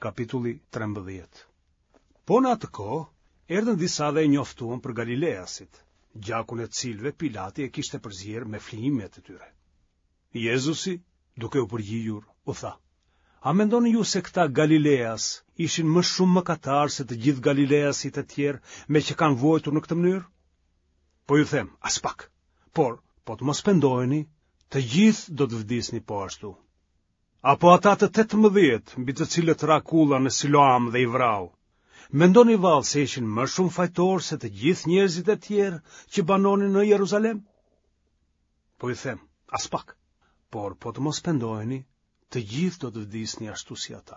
Kapitulli 13 Po në atë kohë, erdhën disa dhe e njoftuan për Galileasit, gjakun e të cilëve Pilati e kishte përzier me flijimet e tyre. Jezusi, duke u përgjigjur, u tha, A mendoni ju se këta Galileas ishin më shumë mëkatarë se të gjithë Galileasit e tjerë meqë kanë vuajtur në këtë mënyrë? Po ju them, aspak. Por, po të mos pendoheni, të gjithë do të vdisni po ashtu. Apo ata të 18, mbi të cilët ra kulla në Siloam dhe i vrau. Mendoni vallë se ishin më shumë fajtorë se të gjithë njerëzit e tjerë që banonin në Jeruzalem? Po ju them, aspak. Por po të mos pendoheni, të gjithë do të vdisni ashtu si ata.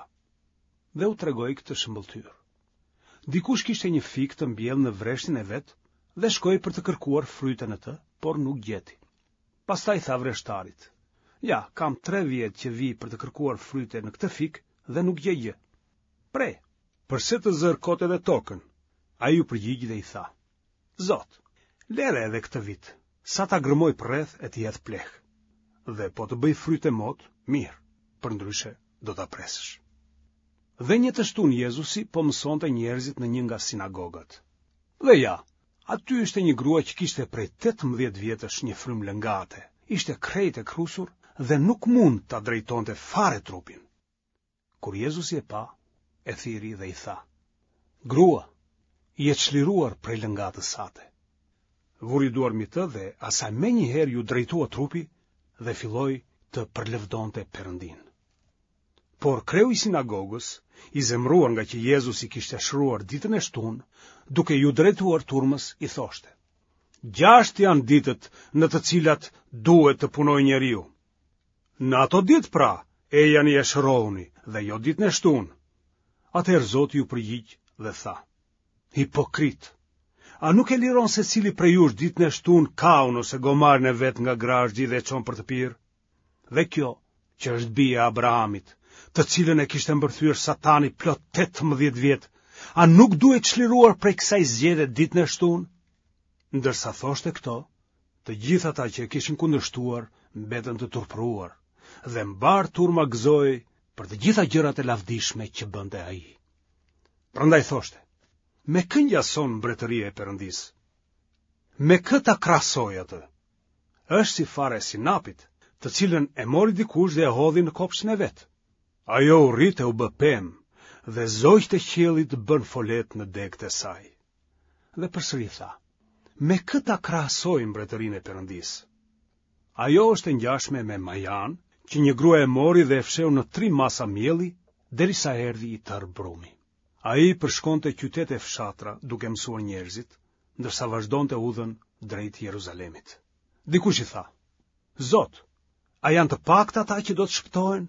Dhe u tregoi këtë shëmbëlltyrë. Dikush kishte një fik të mbjellë në vreshtin e vet dhe shkoi për të kërkuar fryte në të, por nuk gjeti. Pastaj tha vreshtarit, ja, kam tre vjet që vij për të kërkuar fryte në këtë fik dhe nuk gjej gjë. Preje, përse të zërë kot edhe tokën? Ai iu përgjigj dhe i tha, Zot, lëre edhe këtë vit, sa ta gërmoj përreth e t'i hedh pleh. Dhe po të bëjë fryte mot, mirë, përndryshe do ta presësh. Dhe një të shtunë Jezusi po mësonte njerëzit në një nga sinagogat. Dhe ja, aty ishte një grua që kishte prej 18 vjetësh një frymë lëngate, ishte krejt e krusur dhe nuk mund ta drejtonte fare trupin. Kur Jezusi e pa, e thirri dhe i tha, Grua, je çliruar prej lëngatës sate. Vuri duar mbi të dhe asaj menjëherë iu drejtua trupi dhe filloi të përlëvdonte Perëndinë. Por kreu i sinagogës, i zemëruar ngaqë Jezusi kishte shëruar ditën e shtunë, duke iu drejtuar turmës, i thoshte: Gjashtë janë ditët në të cilat duhet të punojë njeriu. Në ato ditë pra, ejani e shërohuni dhe jo ditën e shtunë. Atëherë Zoti iu përgjigj dhe tha: Hipokritë, a nuk e liron secili prej jush ditën e shtunë kaun ose gomarin e vet nga grazhdi dhe e çon për të pirë? Dhe kjo, që është bija e Abrahamit, të cilën e kishte mbërthyer Satani plot 18 vjet, a nuk duhej çliruar prej kësaj zgjede ditën e shtunë? Ndërsa thoshte këto, Të gjithë ata që e kishin kundërshtuar mbetën të turpëruar dhe mbarë turma gëzohej për të gjitha gjërat e lavdishme që bënte ai. Prandaj thoshte, me kë ngjason mbretëria e Perëndisë? Me kë ta krahasoj atë? Është si fara e sinapit, të cilën e mori dikush dhe e hodhi në kopshtin e vet. Ajo u rrit e u bë pemë dhe zogjtë e qiellit bënë foletë në degët e saj. Dhe përsëri tha, me kë ta krahasoj mbretërinë e Perëndisë? Ajo është e ngjashme me majanë, që një grua e mori dhe e fshehu në tri masa mielli, derisa erdhi i tërë brumi. Ai përshkonte qytete e fshatra duke mësuar njerëzit, ndërsa vazhdonte udhën drejt Jeruzalemit. Dikush i tha, Zot, a janë të paktë ata që do të shpëtohen?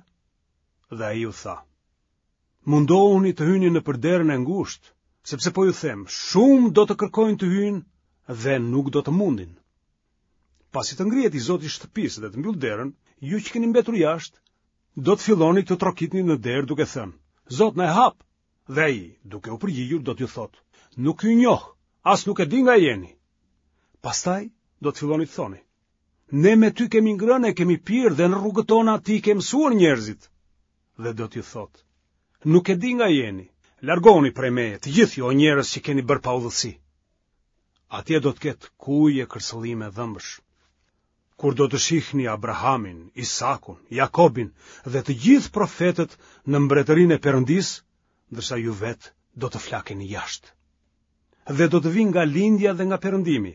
Dhe ai u tha, Mundohuni të hyni nëpër derën e ngushtë, sepse po ju them, shumë do të kërkojnë të hyjnë dhe nuk do të mundin. Pasi të ngrihet i zoti i shtëpisë dhe të mbyllë derën, ju që keni mbetur jashtë, do të filloni të trokitni në derë duke thënë, Zot na e hap! Dhe ai, duke u përgjigjur, do t'ju thotë, nuk ju njoh, as nuk e di nga jeni. Pastaj do të filloni të thoni, ne me ty kemi ngrënë e kemi pirë dhe në rrugët tona ti ke mësuar njerëzit. Dhe do t'ju thotë, nuk e di nga jeni, largohuni prej meje, të gjithë ju o njerëz që keni bërë paudhësi. Atje do të ketë kuje e kërcëllime dhëmbësh. Kur do të shihni Abrahamin, Isakun, Jakobin dhe të gjithë profetët në mbretërinë e Perëndisë, ndërsa ju vetë do të flakeni jashtë. Dhe do të vijnë nga lindja dhe nga perëndimi,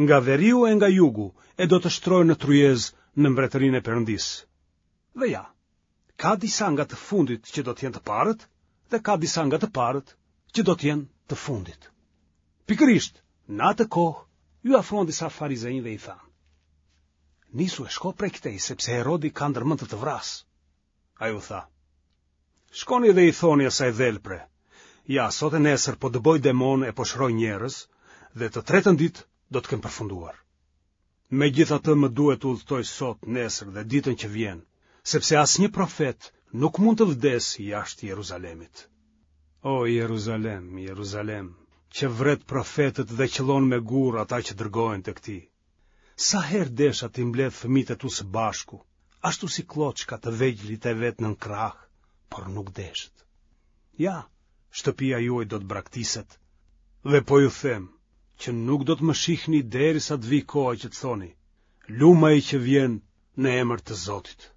nga veriu e nga jugu, e do të shtrohen në tryezë në mbretërinë e Perëndisë. Dhe ja, ka disa nga të fundit që do të jenë të parët dhe ka disa nga të parët që do të jenë të fundit. Pikërisht, në atë kohë, iu afruan disa farizenj dhe i thanë. Nisu e shko prej këtej, sepse Herodi ka ndërmend të të vrasë. Ai u tha, shkoni dhe i thoni asaj dhelpre, ja, sot e nesër po dëboj demonë e po shëroj njerëz, dhe të tretën ditë do të kem përfunduar. Megjithatë më duhet të udhëtoj sot, nesër dhe ditën që vjen, sepse asnjë profet nuk mund të vdesë jashtë Jeruzalemit. O Jeruzalem, Jeruzalem, që vret profetët dhe qëllon me gurë ata që dërgohen tek ti. Sa herë desha t'i mbledh fëmijët e tu së bashku, ashtu si klloçka të vegjlit e vet nën krahë, por nuk deshët. Ja, shtëpia juaj do të braktiset. Dhe po ju them që nuk do të më shihni derisa të vijë koha që të thoni, lum ai që vjen në emër të Zotit.